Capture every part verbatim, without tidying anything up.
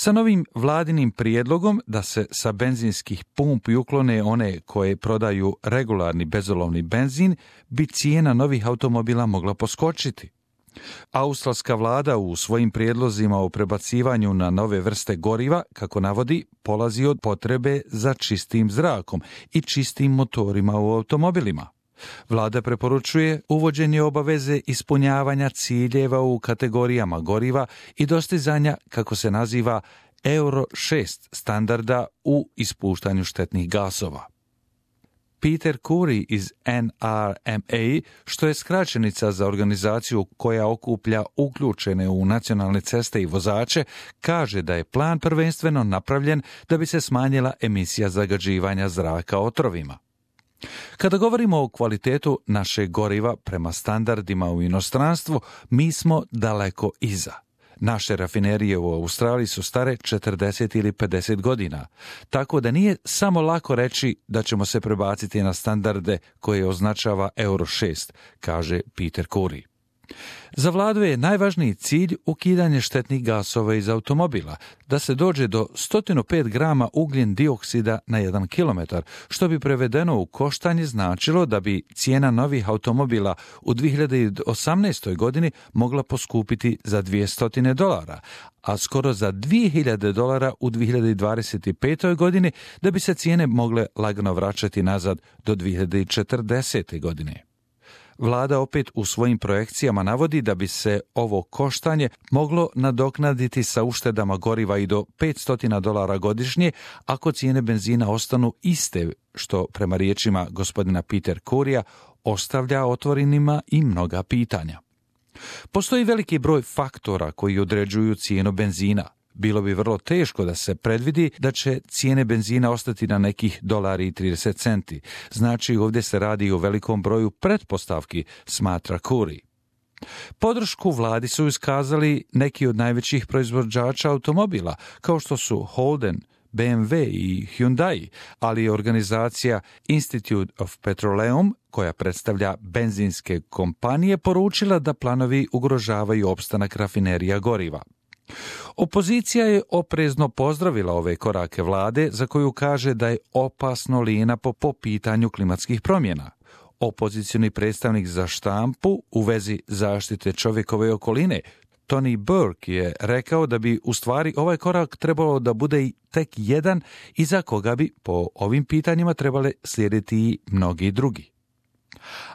Sa novim vladinim prijedlogom da se sa benzinskih pumpi uklone one koje prodaju regularni bezolovni benzin, bi cijena novih automobila mogla poskočiti. Australska vlada u svojim prijedlozima o prebacivanju na nove vrste goriva, kako navodi, polazi od potrebe za čistim zrakom i čistim motorima u automobilima. Vlada preporučuje uvođenje obaveze ispunjavanja ciljeva u kategorijama goriva i dostizanja, kako se naziva, Euro šest standarda u ispuštanju štetnih gasova. Peter Curry iz N R M A, što je skraćenica za organizaciju koja okuplja uključene u nacionalne ceste i vozače, kaže da je plan prvenstveno napravljen da bi se smanjila emisija zagađivanja zraka otrovima. Kada govorimo o kvalitetu našeg goriva prema standardima u inostranstvu, mi smo daleko iza. Naše rafinerije u Australiji su stare četrdeset ili pedeset godina, tako da nije samo lako reći da ćemo se prebaciti na standarde koje označava Euro šest, kaže Peter Curry. Za vladu je najvažniji cilj ukidanje štetnih gasova iz automobila, da se dođe do sto pet grama ugljen dioksida na jedan kilometar, što bi prevedeno u koštanje značilo da bi cijena novih automobila u dvije hiljade osamnaestoj. godini mogla poskupiti za dvjesto dolara, a skoro za dvije hiljade dolara u dvije hiljade dvadeset petoj. godini, da bi se cijene mogle lagano vraćati nazad do dvije hiljade četrdesete. godine. Vlada opet u svojim projekcijama navodi da bi se ovo koštanje moglo nadoknaditi sa uštedama goriva i do petsto dolara godišnje ako cijene benzina ostanu iste, što prema riječima gospodina Peter Currya ostavlja otvorenima i mnoga pitanja. Postoji veliki broj faktora koji određuju cijenu benzina. Bilo bi vrlo teško da se predvidi da će cijene benzina ostati na nekih dolari i trideset centi. Znači, ovdje se radi o velikom broju pretpostavki, smatra Curry. Podršku vladi su iskazali neki od najvećih proizvođača automobila, kao što su Holden, B M W i Hyundai, ali je organizacija Institute of Petroleum, koja predstavlja benzinske kompanije, poručila da planovi ugrožavaju opstanak rafinerija goriva. Opozicija je oprezno pozdravila ove korake vlade, za koju kaže da je opasno lijena po, po pitanju klimatskih promjena. Opozicioni predstavnik za štampu u vezi zaštite čovjekove okoline, Tony Burke, je rekao da bi u stvari ovaj korak trebalo da bude tek jedan i za koga bi po ovim pitanjima trebale slijediti i mnogi drugi.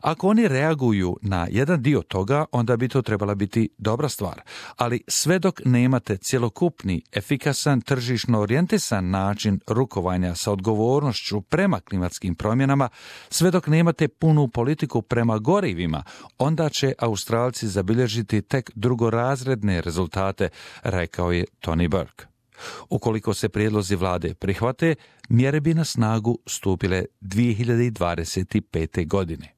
Ako oni reaguju na jedan dio toga, onda bi to trebala biti dobra stvar, ali sve dok nemate cjelokupni, efikasan, tržišno orijentisan način rukovanja sa odgovornošću prema klimatskim promjenama, sve dok nemate punu politiku prema gorivima, onda će Australci zabilježiti tek drugorazredne rezultate, rekao je Tony Burke. Ukoliko se prijedlozi vlade prihvate, mjere bi na snagu stupile dvije hiljade dvadeset pete. godine.